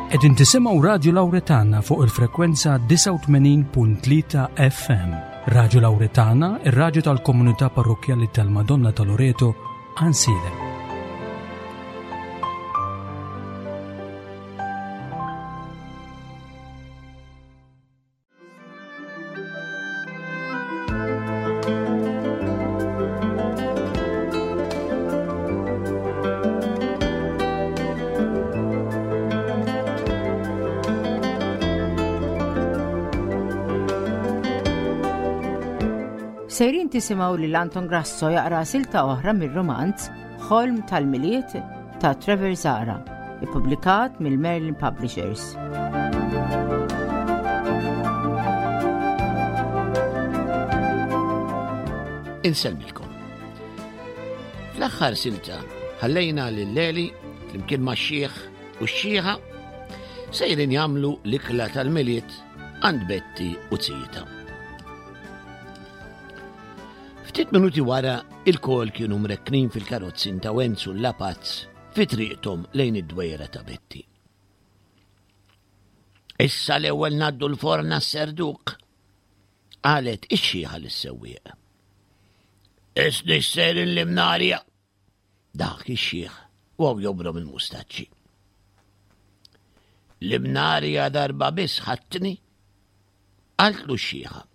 Qegħdin tisimgħu Radju Lawretana fuq il-frekwenza 89.3 FM. Radju Lawretana, ir-radju tal-komunità parrokkjali tal-Madonna ta' Loreto, Ansiedem. Sejrin tisimgħu lil Anton Grasso jaqra silta oħra mir-romanz Ħolm tal-Milied ta' Trevor Zara, ippubblikat mill-Merlin Publishers. Insellmilkom. Fl-aħħar silta ħallejna lil Leli flimkien ma' xieħ u x-xieħa sejrin jagħmlu l-ikla tal-Milied għand Betti u Zita. Ftit minuti wara Ilkoll kienu mrekknin fil-karozzin ta' Wenzu l-Lapazz fi triqthom lejn id-dwejra ta' Betti. Issa l-ewwel ngħaddu l-forn għas-serduk, qalet ix-xiħa lis-sewwieq. Isni sejrin l-imnarja, dak ix-xiħ u għaw jobrom il-mustaċċi. L-imnarja darba biss ħattni, Qaltlu x-xiħa.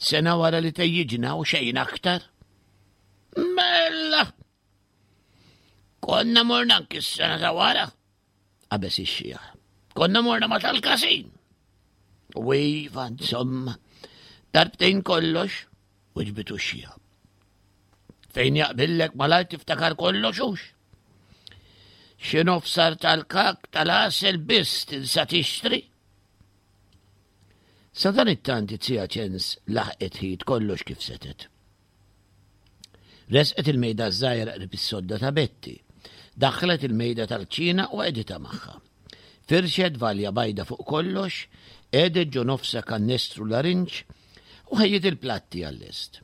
Sena wara li tejjiġna u xejn aktar. Mela! Konna morna anki s-sena ta' wara, qabeż ix-xiħ. Konna morna ma tal-kasin. U iva, insomma, darbtejn kollox, u ġbitu x-xiħa. Fejn jaqbillek malajr tiftakar kollox hux. Xi nofsar tal-kak tal-għasel biss tinsa tixtri. Sadanittant it-Tzija Ċens laħqet ħit kollox kif setgħet. Resqet il-mejda ż-żgħira qrib is-sodda ta' Betti. Daħħlet il-mejda tal-kċina u qegħditha magħha. Firxet valja bajda fuq kollox, qegħdet ġo nofsha kannestru larinġ u ħejjiet il-platti għal-lest.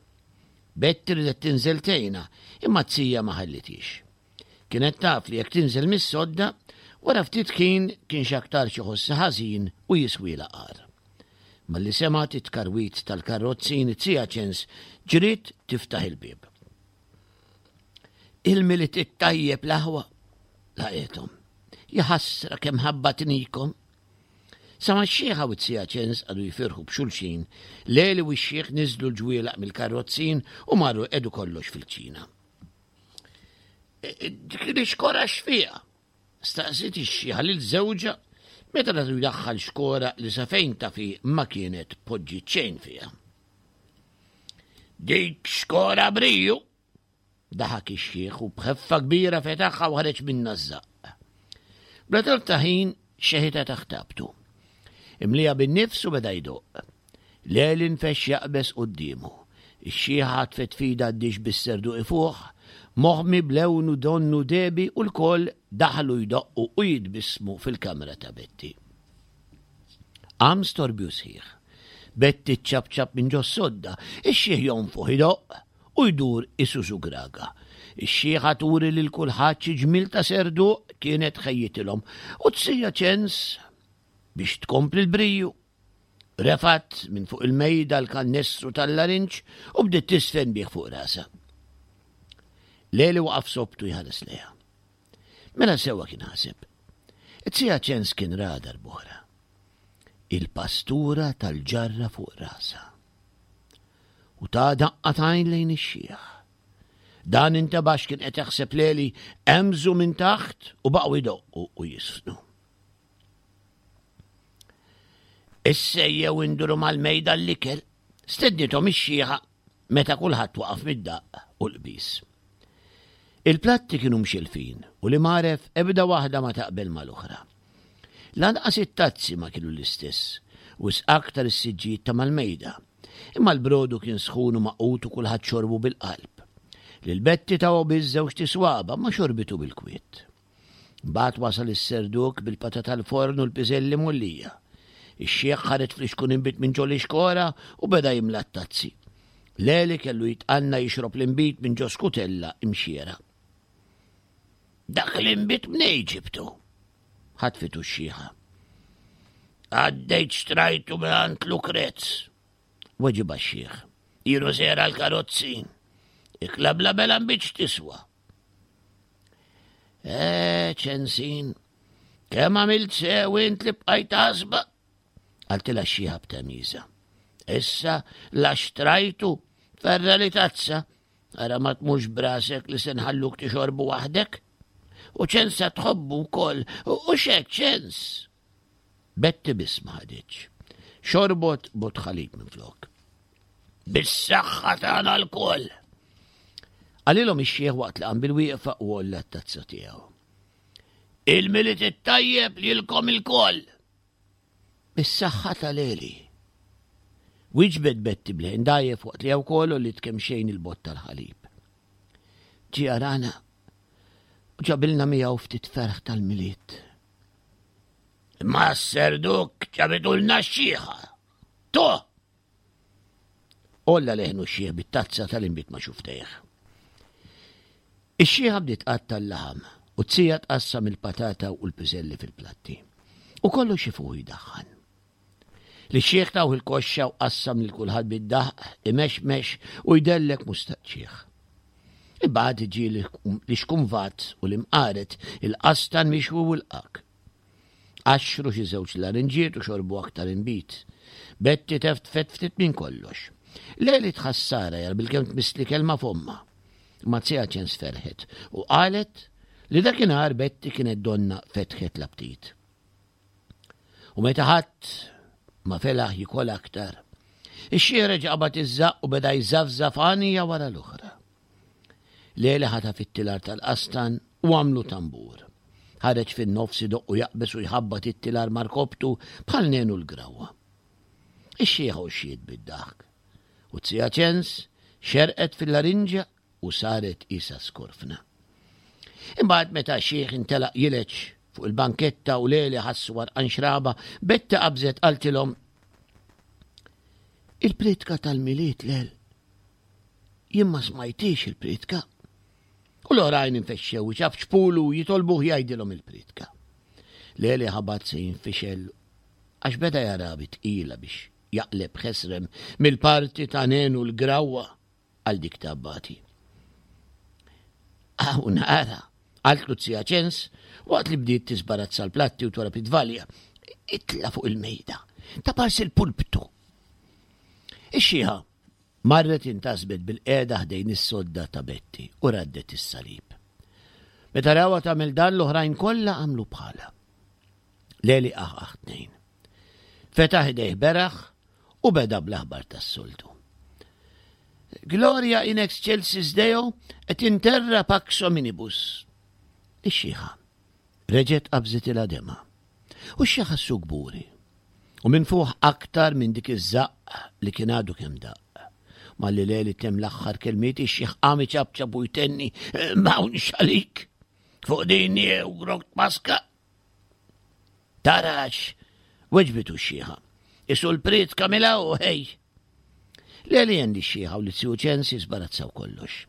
Betti ridet tinżel tgħinha, imma t-tija ma ħallithiex. Kienet taf li jekk tinżel mis-sodda, wara ftit ħin kien x'aktarx iħossha ħażin u jiswielha qar. Malli semgħet it-tkarwit tal-karrozzin it-Tzija Ċens ġriet tiftaħ il-bieb. Il-Milied it-tajjeb l-aħwa, laqgħethom. Jaħasra kemm ħabbatnikom. Sa ma x-xiħa u t-Tzija Ċens qagħdu jifirħu b'xulxin, Leli u x-xiħ niżlu l-ġwielaq mill-karrozzin u marru jqiegħdu kollox fil-kċina. Dik l-ixkora x'fiha? Staqsiet ix-xiħa lil żewġha meta ratu jdaħħal xkora li sa fejn taf hi ma kienet poġġiet xejn fiha. Dik xkora briju! Daħak ix-xiħ u b'ħeffa kbira fetaħha u ħareġ minnha ż-żaqq. Bla telf ta' ħin xeħitha taħt tabtu. Imlieha bin-nifs u beda jdoqq. Leli nfexx jaqbeż quddiemu. Ix-xiħa ħatfet f'idha d-dixx bis-serduq ifuħ, moħmi b'lewnu donnu dehbi u lkoll daħlu jdoqqu u jitbissmu fil-kamra ta' Betti. Qam storbju sħiħ. Betti ċċapċap minn ġos-sodda, ix-xiħ jonfoħ idoqq u jdur isusu graga. Ix-xiħa turi lil kulħadd xi ġmiel ta' serduq kienet ħejjitilhom u t-sija ċens biex tkompli l-briju. Refgħet minn fuq il-mejda l-kannestru tal-larinġ u bdiet tisfen bih fuq rasha. Leli waqaf sobtu jħares lejha. Mela sewwa kien ħaseb. It-sija ċens kien ra darb'oħra. Il-pastura tal-ġarra fuq rasha. U ta' daqqa t'għajn lejn ix-xiħ. Dan intebax kien qed jaħseb Leli emżu minn taħt u baqgħu jdoqqu u jisfnu. Issa ejjew induru mal-mejda l-ikel, stednithom ix-xiħa meta kulħadd waqaf mid-daqq u l-qbiż. Il-platti kienu mxilfin u li magħref ebda waħda ma taqbel mal-oħra. Lanqas it-tazzi ma kienu l-istess, wisq aktar is-siġġijiet ta' mal-mejda. Imma l-brodu kien sħun u magħqud u kulħadd xorbu bil-qalb. Lil Betti tawha biss żewġt iswaba' ma xorbitu bil-kwiet. Mbagħad wasal is-serduk bil-patata l-forn u l-piżelli mgħollija. Ix-xiħ ħareġ flixkun inbid minn ġol-ixkora u beda jimla t-tazzi. Leli kellu jitqanna jixrob l-inbid minn ġo skutella imxiera. Dak l-inbid mnej ġibtu? Ħatfitu x-xiħa. Għaddejt xtrajtu mingħand Lukrez. Weġibha x-xiħ. Jienu sejra l-karozzi. Ikla bla bela mbiċ tiswa. Eh, ċensin, kemm għamilt sew int li bqajt għasba? Qaltilha x-xiħa b'temiża. Issa la xtrajtu ferra li tazza, ara ma tmux brasek li se nħalluk tixorbu waħdek. U ċensa tħobbu wkoll, u xek ċens. Betty biss ma ħaditx. Xorbot bot ħalib minflok. Bis-saħħa tagħna lkoll! Qalilhom ix-xiħ waqt li qam bil-wieqfa u għolla t-tazza tiegħu. Il-Milied it-tajjeb lilkom ilkoll! Bis-saħħa tal-Eli. Wieġbet Betty b'leħen dgħajjef waqt li wkoll għolliet kemxejn il-bott tal-ħalib. Ġie jarana u ġabilna miegħu ftit ferħ tal-Milied. Imma s-serduk ġabitulna x-xiħa. To! Olla leħnu x-xiħ bit-tazza tal-inbid ma' xuftejh. Ix-xiħa bdiet tqatta' l-laħam u t-tija tqassam il-patata u l-piżelli fil-platti. U kollox ifuħ jdaħħan. Lix-xiħ tawh il-koxxa u qassam lil kulħadd bid-daħq, imexmex u jdellek mustaqċih. Imbagħad ġie l-ixkumvat u l-imqaret, il-qastan mixwi u l-qak. Qaxxru xi żewġ larinġiet u xorbu aktar inbid. Betti teftfet ftit minn kollox. Leli tħassara jar bilkemm tmissli kelma f'ommha. Imma Zija Ċens ferħet u qalet li dakinhar Betti kienet donna fetħet l-aptit. U meta ħadd ma felaħ jikol aktar, ix-xiħ reġa' qabad iż-żaqq u beda jżafżaf għanija wara l-oħra. Leli ħataf it-tilar tal-qastan u għamlu tambur. Ħareġ fin-nofs idoqq u jaqbeż u jħabbat it-tilar ma' rkobtu bħal nenu l-grawwa. Ix-xiħa għoxxiet bid-daħk. U t-Zija Ċens xerqet fil-larinġa u saret qisha skorfna. Imbagħad meta x-xiħ intelaq jileġ fuq il-banketta u Leli ħassu għarqan xraba, Betta qabżet qaltilhom Il-priedka tal-Milied Lel. Jien ma smajtix il-priedka. U l-oħrajn infexxew iċapċpulu u jitolbuh jgħidilhom il-priedka. Leli ħabat se jinfixel għax beda jara bi tqila biex jaqleb ħesrem mill-parti ta' Nenu l-Grawwa. għal dik ta' Abbati. Hawn ara, qaltlu Zija Ċens waqt li bdiet tisbarazza l-platti u torab it-tvalja. Itla fuq il-mejda, ta' parsi l-pulptu. Ix-xieħa marret intasbet bil-qiegħda ħdejn is-sodda ta' Betti u raddet is-salib. Meta rawha tagħmel dan l-oħrajn kollha għamlu bħalha. Leli aħ tnejn. Fetaħ idejh beraħ u beda bl-aħbar tas-soltu. Gloria in excelsis Deo et in terra pax hominibus. Ix-xiħa reġgħet qabżitilha demgħa. U x-xiħ ħassu kburi. U minn fuq aktar minn dik iż-żaqq li kien għadu kemm daqq. Malli Leli temm l-aħħar kelmiet ix-xiħ qam iċapċap u jtenni m'hawnx għalik. Fuq din jew grok paska. Tarax, weġbitu x-xiħa. Isu l-priedka mila u ħej. Leli għen li x-xiħa u li t ċensi sbarazzaw kollox.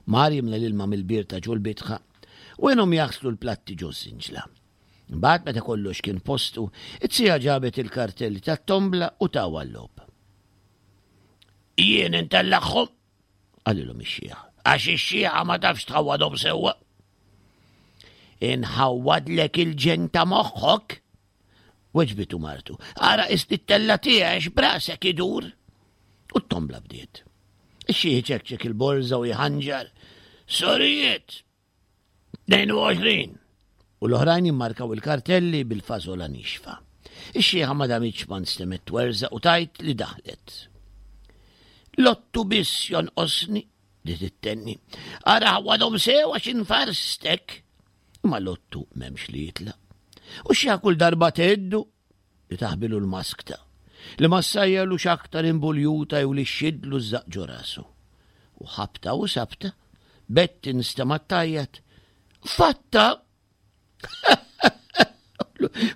Mar jimla l-ilma mill-bir ta' ġol bitħa u għenhom jaħslu l-platti ġo żinġla. Imbagħad meta kollox kien postu, it-sija ġabet il-kartelli tat-tombla u tawa l-lob. Jien intellagħhom, Qalilhom ix-xiħ. Għax ix-xiħa ma tafx tħawwadhom sewwa. Inħawwadlek il-ġen ta' moħħok. Weġbitu martu. Ara istittella tiegħek brasek idur. U t-tombla bdiet. Ix-xiħ ċekċek il-borża u jħanġar. Sorijiet! 22! U l-oħrajn jimmarkaw il-kartelli bil-fażola nixfa. Ix-xiħa ma damitx ma nstemet twerżaq u tgħid li daħlet. Lottu biss jonqosni, li tittenni. Ara ħawadhom sew għax infarstek. Imma lottu m'hemmx li jitla. U xi kull darba tgħiddu li taħbilu l-maskta, li ma ssajjarlux aktar imbuljuta jew li xxidlu ż-żaqq ġo rasu. U ħabta u sabta, Betty nstemgħet tgħajjat, Fatta!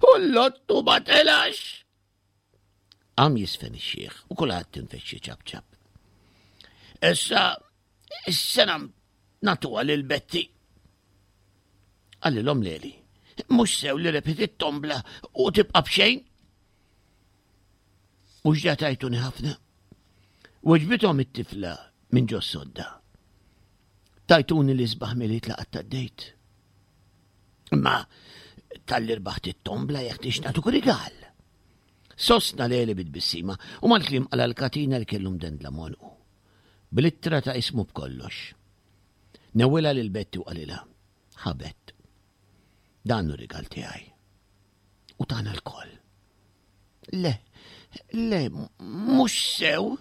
U l-lottu ma telax! Qam jisfen ix-xiħ u kulħadd infexxi ċapċap. Issa, is-sena nagħtuha lil Betty. Qalilhom Leli, mhux sew li rebħet it-tombla u tibqa' b'xejn. Mhux ġa tajtuni ħafna? Weġbithom it-tifla minn ġo sodda. Tajtuni l-isbaħ miliet li qatt għaddejt. Imma tal-li rbaħt it-tombla jekk tix nagħtuk rigal. Sostna Leli bit-tbissima u mal-kliem qala l-katina li kellu mdendla m'għonqu. Bl-ittra ta' ismu b'kollox. Newwilha lil Betty u qalilha, Ħa Bett, dan hu rigal tiegħi. U tagħna lkoll. Le, le, mhux sew.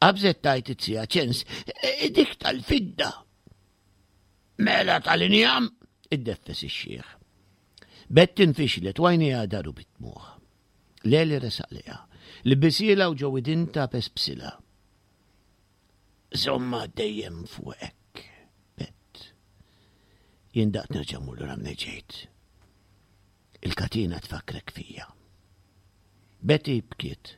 Qabżet tajt it-sija ċens, e, dik tal-fidda. Mela tal-injam, iddeffes ix-xiħ. Betty nfixlet u għajnejha daru bid-dmugħ. Leli resaq lejha, libisielha u ġo widinta pespsilha. Żommha dejjem fuqek, Bett. Jien daqt nerġa' mmur lura minn ġejt. Il-katina tfakkrek fija. Betty bkiet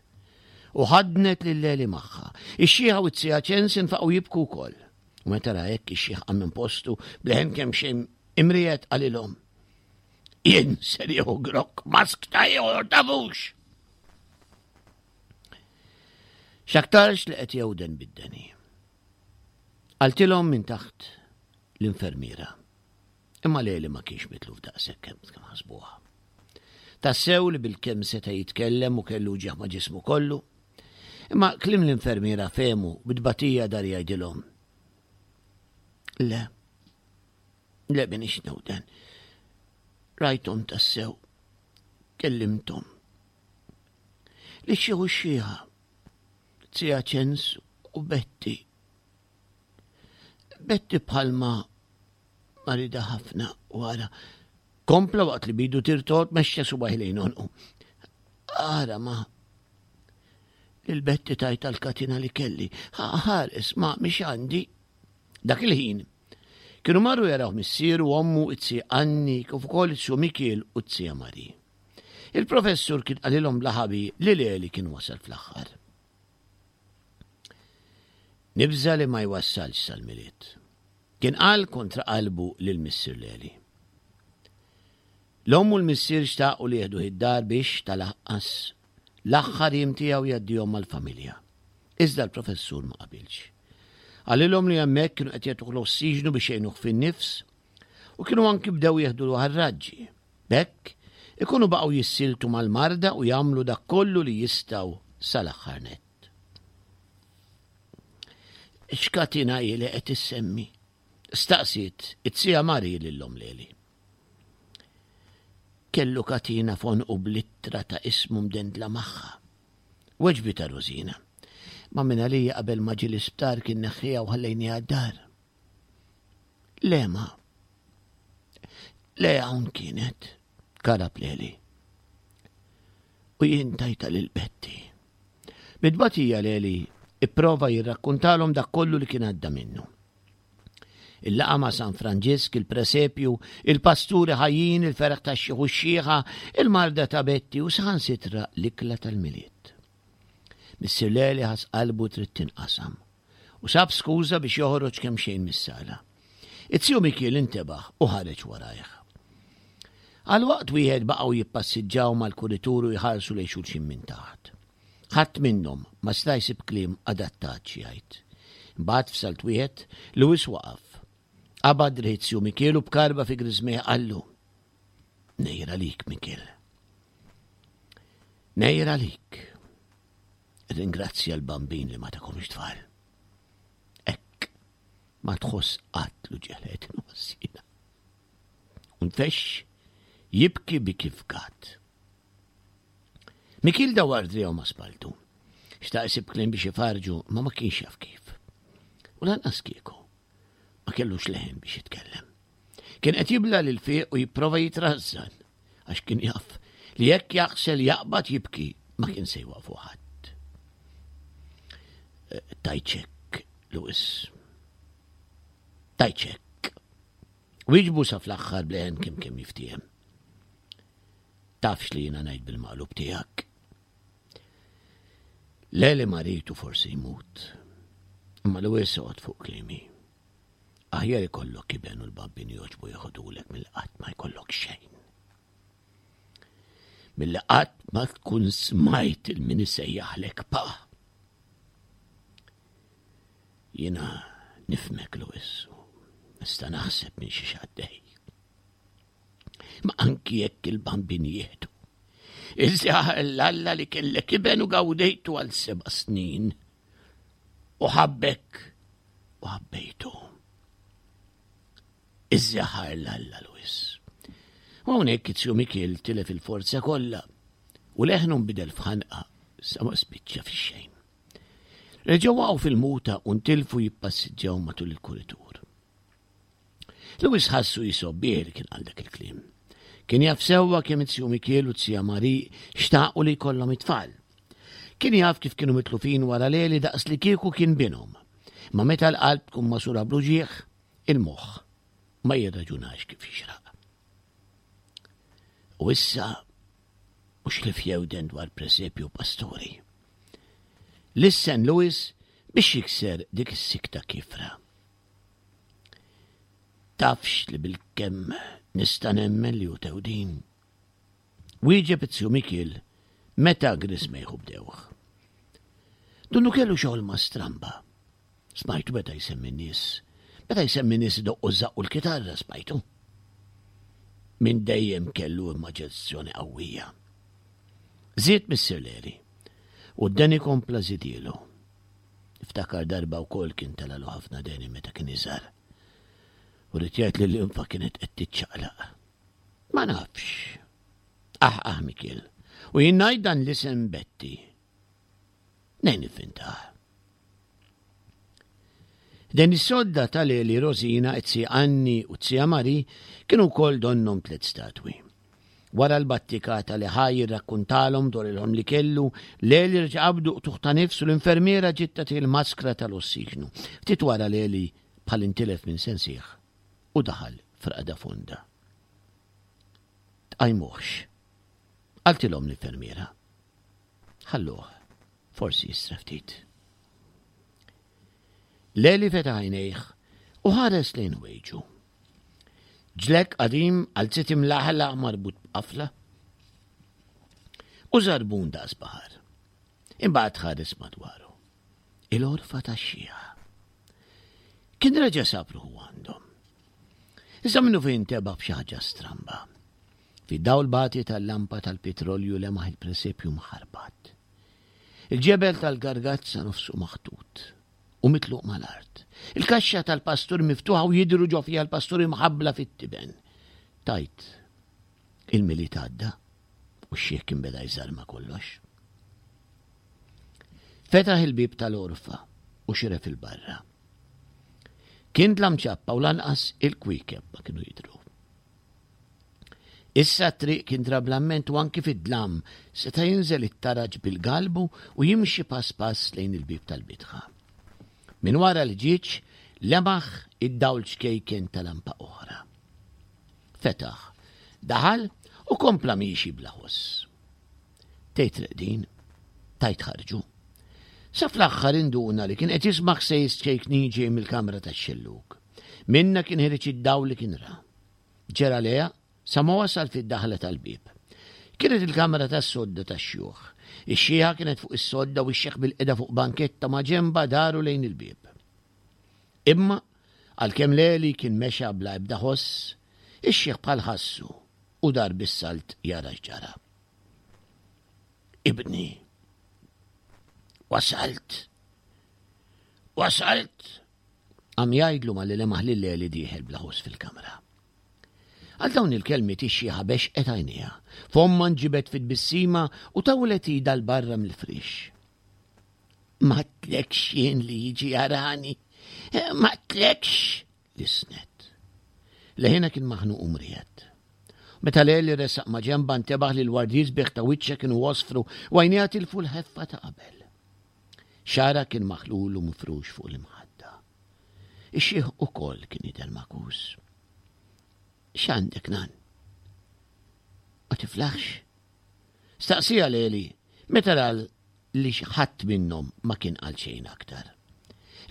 u ħadnet lil Leli magħha. Ix-xiħa u t-sija ċens infaqgħu jibku wkoll. U meta ra hekk ix-xiħ qam minn postu bleħen kemm xejn imriet qalilhom. Jien ser jieħu grokk mask ta' ieħor tafux. X'aktarx li qed jewden bid-deni. Qaltilhom minn taħt l-infermiera. Imma Leli ma kienx mitluf daqshekk kemm kemm ħasbuha. Tassew li bilkemm seta' jitkellem u kellu uġigħ ma' ġismu kollu. Imma kliem l-infermiera fehmu bi tbatija dar jgħidilhom. Le, le minix newden. Rajthom tassew, kellimthom. Li xi u xieħa, Zija Ċens u Betty. Betty bħalma marida ħafna wara. Kompla waqt li bidu tirtot mexxa subajh lejn onqu. Ara ma lil Betty tajta l-katina li kelli. Ħares ma mhix għandi. Dak il-ħin kienu marru jaraw missieru ommu it-si Anni kif ukoll it-su Mikiel u t-sija Mari. Il-professur kien qalilhom bla ħabi li Leli kien wasal fl-aħħar. Nibża' li ma jwassalx sal-Milied. Kien qal kontra qalbu lil missier Leli. L-omm u l-missier xtaqu li jieħduh id-dar biex, tal-aqqas, l-aħħar jiem tiegħu jgħaddihom mal-familja. Iżda l-professur ma qabilx. Qalilhom li hemmhekk kienu qed jagħtuh l-ossiġnu biex jgħinuh fin-nifs u kienu anki bdew jeħdulu għar-raġġi. B'hekk, ikunu baqgħu jissieltu mal-marda u jagħmlu dak kollu li jistgħu sal-aħħar nett. X'katina hi li qed issemmi? Staqsiet it-sija Mari lil omm Leli. Kellu katina f'għonqu bl-ittra ta' ismu mdendla magħha. Weġbitha Rosina. Ma minn għalija qabel ma ġie l-isptar kien neħħiha u ħallejniha d-dar. Le ma. Le hawn kienet, karab Leli. U jien tajta lil Betty. Bit-tbatija Leli ipprova jirrakkuntalhom dak kollu li kien għadda minnu. Il-laqa ma' San Franġisk, il-presepju, il-pasturi ħajjin, il-ferħ tax-xiħ u x-xiħa, il-marda ta' Betty u saħansitra l-ikla tal-Milied. Missier Leli ħass qalbu trid tinqasam u sab skuża biex joħroġ kemxejn mis-sala. It-tiju Mikiel intebaħ u ħareġ warajh. Għal waqt wieħed baqgħu jippassiġġaw mal-kuritur u jħarsu lejn xulxin minn taħt. Ħadd minnhom ma seta' jsib kliem adattat xi jgħid. Imbagħad f'salt wieħed, Lewis waqaf. Qabad driegħ it-tiju Mikiel u b'karba fi griżmejh qallu, Nejr għalik, Mikiel. Nejr għalik. Ringrazzja l-bambin li ma takomx tfal. Ekk, ma tħoss qatt l-uġelet nħossina. Unfex jibki bi kif gat. Mikil dawar driegħu ma' spaltu. Xtaq isib kliem biex ifarġu, ma ma kienx jaf kif. U lanqas kieku. Ma kellux leħen biex jitkellem. Kien qed jibla lil fiq u jipprova jitrażżan għax kien jaf li jekk jaħsel jaqbad jibki ma kien se jwaqfu ħadd. Eh, tajċek, Lewis. Tajċek. Wieġbu sa fl-aħħar bleħen kemm kemm jiftiehem. Tafx li jiena ngħid bil-maqlub tiegħek. Leli maritu forsi jmut. Imma Lewis oqgħod fuq kliemi. Aħjar ikollok iben u l-babbin jogħġbu jeħodulek mill qatt ma jkollok xejn. Milli qatt ma tkun smajt il-min isejjaħlek pa. Jiena nifmek Louis, nista' naħseb minn xi xaddej. Ma anki jekk il-bambin jieħdu. Iżja l-Alla li kellek iben u gawdejtu għal seba' snin. U ħabbek u ħabbejtu. Iżja ħar l-Alla Louis. U hawnhekk it-tju Mikiel tilef il-forza kollha u leħnu nbidel f'ħanqa sa ma spiċċa fix-xejn. Reġgħu waqgħu fil-muta u ntilfu jippassiġġaw matul il-kuritur. Louis ħassu jisobbih li kien qal dak il-kliem. Kien jaf sewwa kemm it-tju Mikiel u t-tija Mari xtaqu li jkollhom it-tfal. Kien jaf kif kienu mitlufin wara Leli daqs li kieku kien binhom. Ma meta l-qalb tkun masura bl-uġigħ, il-moħħ ma jirraġunax kif jixraq. U issa mhux li fjewden dwar presepju pastori. Lissen Louis biex jikser dik is-sikta kifra. Tafx li bil-kemm nista' nemmen li hu tewdin. Wieġeb it-Tju Mikiel meta grismejħu bdewh. Dunnu kellu xogħol ma' stramba. Smajtu meta jsemmi n-nies. Meta jsemmi nies idoqqu ż-żaqq u l-kitarra smajtu. Minn dejjem kellu immaġinazzjoni qawwija. Żied Missier Leri u d-deni kompla żidielu. Niftakar darba wkoll kien telalu ħafna deni meta kien iżgħar. U rrid jgħid li l-infa kienet qed tiċċaqlaq. Ma nafx. Ah, ah, Mikiel. U jien ngħid dan l-isem Betti. Nejn nifintah. Den is-sodda ta' Leli Rosina, it-Tzija Anni u t-Tzija Mari kienu wkoll donnhom tliet statwi. Wara l-battikata li ħa jirrakkuntalhom dwar il-ħolm li kellu, Leli reġa' qabdu qtugħ ta' nifs u l-infermiera ġiet tagħtih il-maskra tal-ossiġnu. Ftit wara Leli bħal intilef minn sensih u daħal f'raqda fonda. Tqajmuhx, qaltilhom l-infermiera. Ħalluh, forsi jistra ftit. Leli fetaħ għajnejh u ħares lejn wejġu. Ġlek qadim għal zit imlaħlaħ marbut b'qafla u żarbun daqs baħar. Imbagħad ħares madwaru. Il-orfa tax-xieħa. Kien reġa' sab ruħu għandhom. Iżda minnu fejn teba' b'xi ħaġa stramba. Fid-dawl bati tal-lampa tal-pitrolju lemaħ il-presepju mħarbat. Il-ġebel tal-gargazza nofsu maħtut u mitluq mal-art. Il-kaxxa tal-pastur miftuħa u jidhru ġo fiha l-pastur imħabbla fit-tiben. Tajt, il-Milied għadda u x-xiħ kien beda jżarma kollox. Fetaħ il-bieb tal-għorfa u xiref il-barra. Kien dlam ċappa u lanqas il-kwiekeb ma kienu jidhru. Issa t-triq kien trablamment u anki fid-dlam seta' jinżel it-taraġ bil-galbu u jimxi pass pass lejn il-bieb tal-bitħa. Minn wara l-ħġieġ lemaħ id-dawl ċkejken ta' lampa oħra. Fetaħ, daħal u kompla miexi bla ħoss. Tgħid reqdin, tgħid ħarġu. Sa fl-aħħar induna li kien qed jisma' ħsejjes ċkejknin ġej mill-kamra tax-xellug. Minnha kien ħireġ id-dawl li kien ra. Ġera lejha sa ma wasal fid-daħla tal-bieb. Kienet il-kamra tas-sodda tax-xjuħ. Ix-xiħa kienet fuq is-sodda u x-xiħ bilqiegħda fuq banketta maġenbha daru lejn il-bieb. Imma, għalkemm Leli kien mexa bla ebda ħoss, ix-xiħ bħal ħassu u dar bis-salt jara x'ġara. Ibni, wasalt! Wasalt! Qam jgħidlu malli lemaħ lil Eli dieħel bla ħoss fil-kamra. Għal dawn il-kelmiet ix-xiħa bexqet għajnejha, fommha nġibed fi tbissima u tawlet idha 'l barra mill-friex. M'għedtlekx jien li jiġi jarani, m'għedtlekx, lissnet. Leħinha kien maħnuq u mriegħed. Meta Leli resaq ma' ġenbha ntebaħ li l-wardijiet sbieħ ta' wiċċha kienu għosfru u għajnejha tilfu l-ħeffa ta' qabel. Xagħarha kien maħlul u mifrux fuq l-imħadda. Ix-xiħ ukoll kien jidher magħkus. X'għandek, nan? Ma tiflaħx? Staqsija Leli meta ra li ħadd minnhom ma kien qal xejn aktar.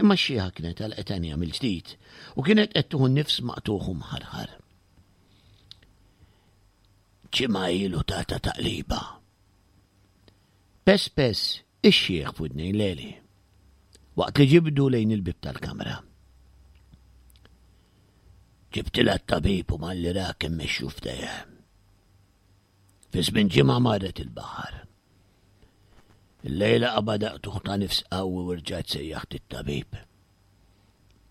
Imma x-xiħa kienet għalqet għajnejha mill-ġdid u kienet qed tieħu nifs maqtugħ u mħarħar. Ġimgħa ilu tata taqliba. Pes pes ix-xiħ f'widnejn Leli, waqt li ġibdu lejn il-bib tal-kamra. Ġibtilha t-tabib u malli ra kemm mexxu f'dejja. Fi żmien ġimgħa marret il-baħar. Illejla qabadha qtugħ ta' nifs qawwi u rġajt sejjaħt it-tabib.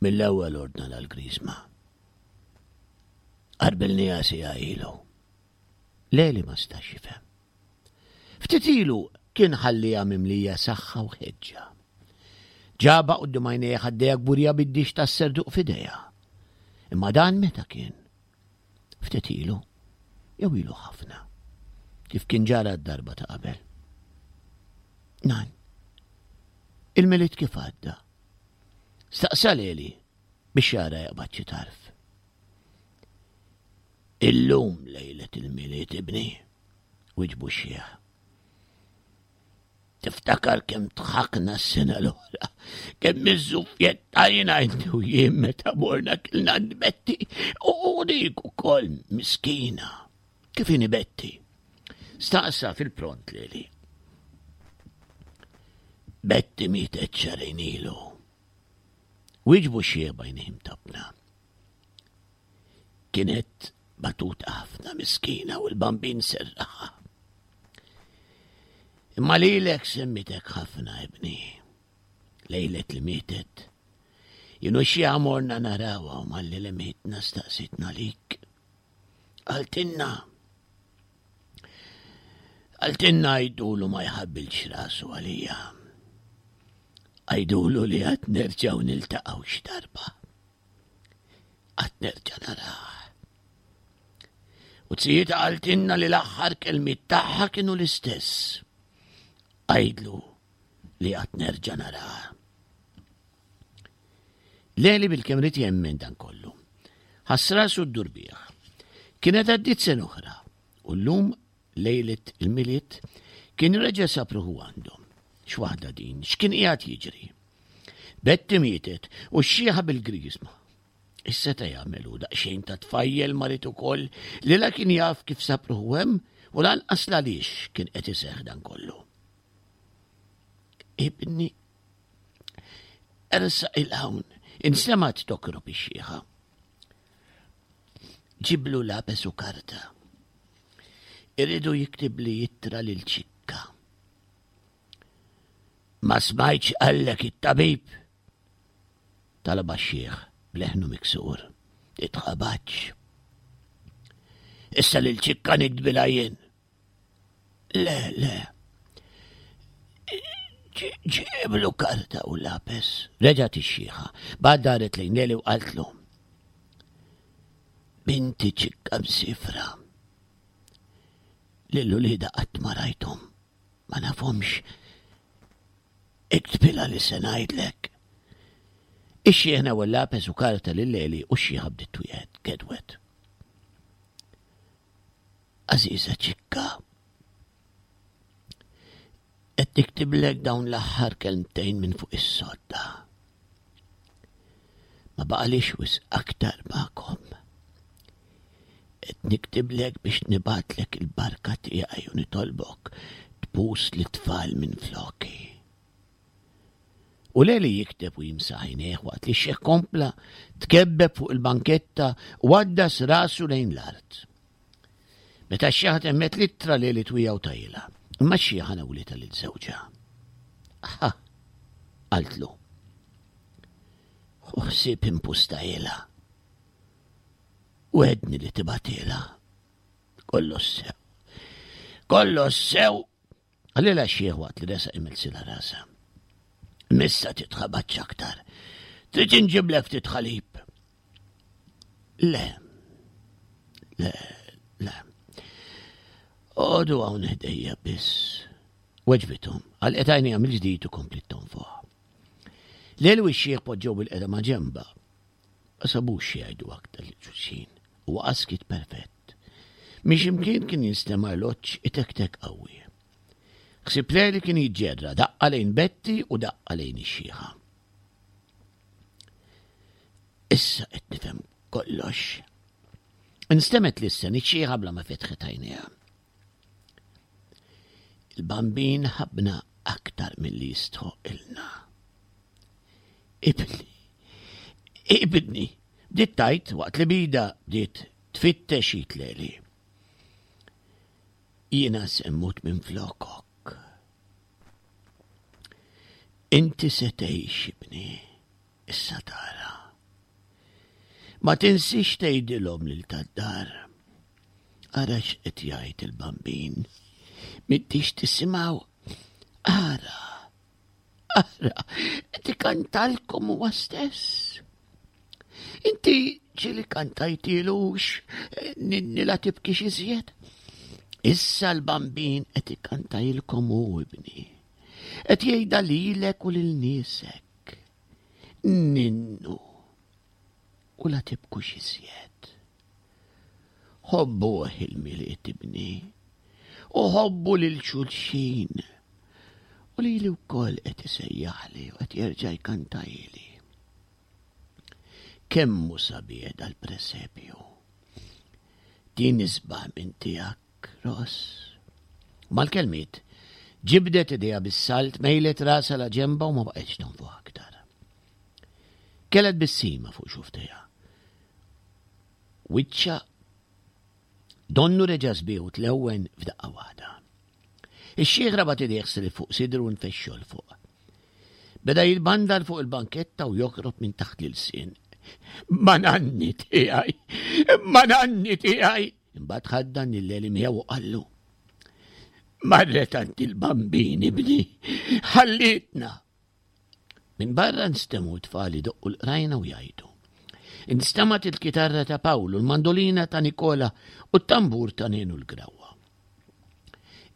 Mill-ewwel ordna l-griżma. Qarbilniha siegħa ilu. Leli ma stax jifhem. Ftit ilu kien ħalliha mimlija saħħa u ħeġġa. Ġaba quddiem għajnejha ħaddejha kburija bid-dix tas-serduq f'idejha. Imma dan meta kien? Ftit ilu, jew ilu ħafna, kif kien ġara d-darba ta' qabel. Nan, il-Milied kif għadda? Staqsa Leli biex jara jaqbad xi tarf. Illum lejlet il-Milied ibni, wiġbu x-xiħ. Tiftakar kemm dħakna s-sena l-oħra, kemm iżżuffjettajna inti u jien meta morna kilna għand Betti u dik ukoll miskina. Kif inhi Betti? Staqsa fil-pront lili. Betti mietet xarejn ilu. Wieġbu xie bajnejhim tabna. Kienet batuta ħafna miskina u l-bambin serraħa. Imma lilek semmitek ħafna ibni. Lejlet li mietet. Jenu xi morna narawa u malli li mietna staqsitna lik. Għaltinna. Għaltinna għajdulu ma jħabbilx rasu għalija. Għajdulu li għad nerġaw niltaqgħu xi darba. Għad nerġa' narah. U zijiet qaltilna li l-aħħar kelmiet tagħha kienu l-istess. Għidlu li għad nerġa' narah. Leli bil-kemm rid jemmen dan kollu. Ħass rasu ddur bih. Kienet għaddiet sena oħra u llum lejlet il-Milied kien reġa' sab ruħu għandhom. X'waħda din, x'kien qiegħed jiġri? Betti mietet u x-xieħa bil-griżma. Ix-seta' jagħmel hu daqsxejn ta' tfajjel marid ukoll li la kien jaf kif sab ruħu hemm u lanqas l-għaliex kien qed iseħħ dan kollu. Ibni, ersaq il-hawn, insemgħet tokrob ix-xieħa. Ġiblu lapes u karta. Irridu jiktibli ittra lil Ċikka. Ma smajtx qallek it-tabib? Talabha x-xiħ b'leħnu miksur. Titħabatx. Issa lil Ċikka niktbilha jien. Le, le. Ġiblu karta u lapes. Reġgħet ix-xiħa. Bad daret lejn Leli u qaltlu. Binti Ċikka msifra. Lil uliedha qatt ma rajthom. Ma nafhomx. Iktbilha li se ngħidlek. Ix-xiħ newel lapes u karta lil Leli u x-xiħa bdiet twiegħed, gedwet. Għażiża Ċikka, qed niktiblek dawn l-aħħar kelmtejn minn fuq is-sodda. Ma baqalix wisq aktar magħkom. Qed niktiblek biex nibgħatlek il-barka tiegħi u nitolbok tbus lit-tfal minn floki. U Leli jikteb u jimsaħ għajnejh waqt li x-xiħ kompla tkebbeb fuq il-banketta u għaddas rasu lejn l-art. Meta x-xiħa temmet l-ittra Leli twija u tajla, imma x-xiħa nawlitha lil żewġha. Ha, qaltlu. Ħu ħsieb impusta ilha. Wegħedni li tibgħatilha. Kollox sew. Kollox sew Qalilha x-xiħ waqt li resaq imilsilha rasha. Missa titħabatx aktar. Trid inġiblek ftit ħalib. Le. Le, le. Għodu hawn ħdejja biss. Weġbithom, għalqet għajnejha mill-ġdid u kompliet tonfoħ. Lelu x-xiħ poġġew bil-qeda ma' ġemba. Ma sabux xi jgħidu aktar lil xulxin u waqa' skiet perfett. Minn x'imkien kien jinstema' arloġġ itektek qawwi. Ħsieb Leli kien jiġġerra daqqa lejn Betty u daqqa lejn ix-xiħa. Issa qed nifhem kollox. Instemet lissen iċ-xiħa bla ma fetħet għajnejha. Il-bambin ħabna aktar milli jistħoq ilna. Ibni, ibni, bdiet tajt waqt li bida bdiet tfittex jitleli. Jiena se mmut minn flokok. Inti se tgħix ibni, issa tara. Ma tinsiex tgħidilhom lil tad-dar. Ara x'qed jgħid il-bambin. M'intix tisimgħu. Ara, ara, qed ikantalkom huwa stess. Inti ġieli kantajtilux ninni la tibkix iżjed. Issa l-bambin qed ikantajlkom hu ibni. Qed jgħidha lilek u lil niesek. Ninnu u la tibkux iżjed. Ħobbuh il-Milied ibni u ħobbu lil xulxin. U lili wkoll qed isejjaħli u qed jerġa' jkantajli. Kemm hu sabiħ dal-presepju. Din isbaħ minn tiegħek, Ross. Mal-kelmiet, ġibdet idejha bis-salt, mejlet rasha la ġenba u ma baqgħetx tonfoħ aktar. Kellha tbissima fuq xufftejha. Wiċċha donnu reġa' sbieħ u tlewwen f'daqqa waħda. Ix-xiħ rabat idejh srif fuq sidru u nfexxu 'l fuq. Beda jitbandal fuq il-banketta u jokrob minn taħt l-ilsien. Ma nanni tiegħi! Ma nanni tiegħi! Imbagħad ħaddan lil Eli miegħu u qallu. Marret għand il-bambini bni, ħallitna. Minn barra nstemgħu tfal idoqqu l-qrajna u jgħidu. Instemgħet il-kitarra ta' Pawlu, l-mandolina ta' Nikola u t-tambur ta' Nenu l-Grawwa.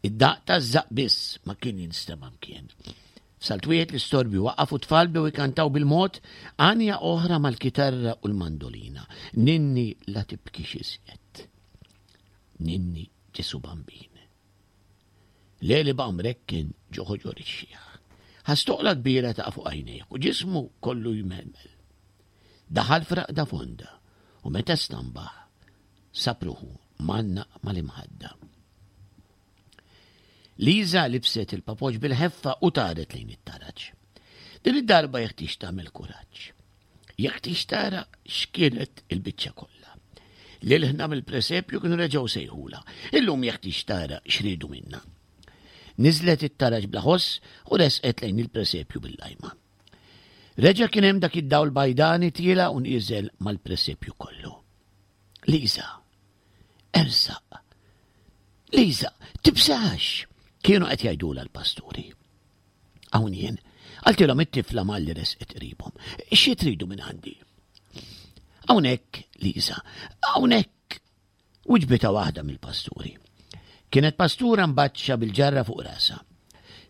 Id-daqq taż-żaqq biss ma kien jinstema' mkien. F'salt wieħed l-istorbju waqaf u t-tfal bdew ikantaw bil-mod għanja oħra mal-kitarra u l-mandolina. Ninni la tibkix iżjed. Ninni Ġesu Bambin. Leli baqa' mrekken ġo ħoġor ix-xiħ. Ħass toqla kbira taqa' fuq għajnejh u ġismu kollu jmelmel. Daħal f'raqda fonda u meta stambaħ sab ruħu mgħannaq mal-imħadda. Liża libset il-papoċ bil-ħeffa u taret lejn it-taraġ. Din id-darba jeħtieġ tagħmel kuraġġ. Jeħtieġ tara x'kienet il-biċċa kollha. Lil ħna mill-presepju kienu reġgħu sejħula. Illum jeħtieġ tara x'riedu minna. Niżlet it-taraġ bla ħoss u resqet lejn il-presepju bil-lajma. Reġa' kien hemm dak id-dawl bajdani tiela u nieżel mal-presepju kollu. Liza, ersaq. Liza, tibżax! Kienu qed jgħidulha l-pasturi. Hawn jien, qaltilhom it-tifla malli resqet qribhom. Xi tridu minn għandi? Hawnhekk, Liza, hawnhekk, wiġbitha waħda mill-pasturi. Kienet pastura mbaċċa bil-ġarra fuq rasha.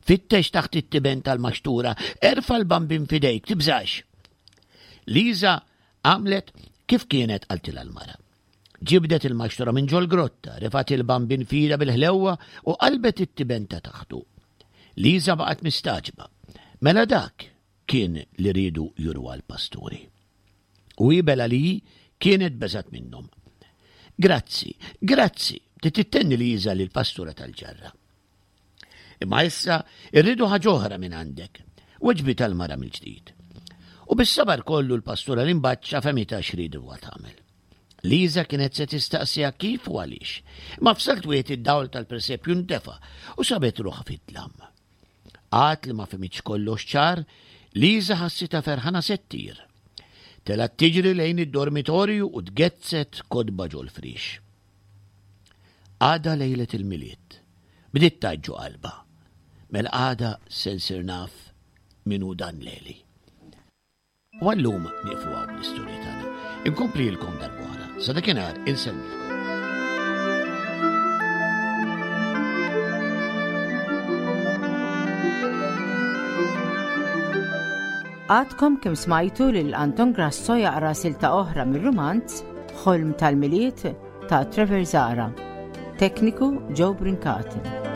Fittex taħt it-tiben tal-maxtura, erfa' l-bambin f'idejk, tibżax. Liza għamlet kif kienet qaltilha l-mara. Ġibdet il-maxtura minn ġol-grotta, refgħet il-bambin f'idha bil-ħlewwa u qalbet it-tiben ta' taħtu. Liża baqgħet mistagħġba. Mela dak kien li riedu juruha l-pasturi. U hi bela li hi kienet beżgħet minnhom. Grazzi, grazzi, bdiet ittenni Liża lill-pastura tal-ġarra. Imma issa irridu ħaġa oħra minn għandek. Weġbitha l-mara mill-ġdid. U bis-sabar kollu l-pastura l-imbaċċa fehmitha x'ried huwa tagħmel. Liża kienet se tistaqsiha kif u għaliex. Imma f'salt wieħed id-dawl tal-presepju ntefa' u sabet ruħha fid-dlam. Għad li ma fehmitx kollox ċar, Liża ħassitha ferħana se ttir. Telgħet tiġri lejn id-dormitorju u tgezzet kotba ġol-friex. Għada lejlet il-Milied. Bdiet tgħid ġo qalbha. Mela għada se nsir naf min hu dan Leli. U għallum nieqfu hawn bl-istorja tagħna. Inkomplilkom darb'oħra. Sa dakinhar insellmilkom. Għadkom kemm smajtu lil Anton Grasso jaqra silta oħra mir-rumanz Ħolm tal-Milied ta' Trevor Zahra. Tekniku Joe Brincat.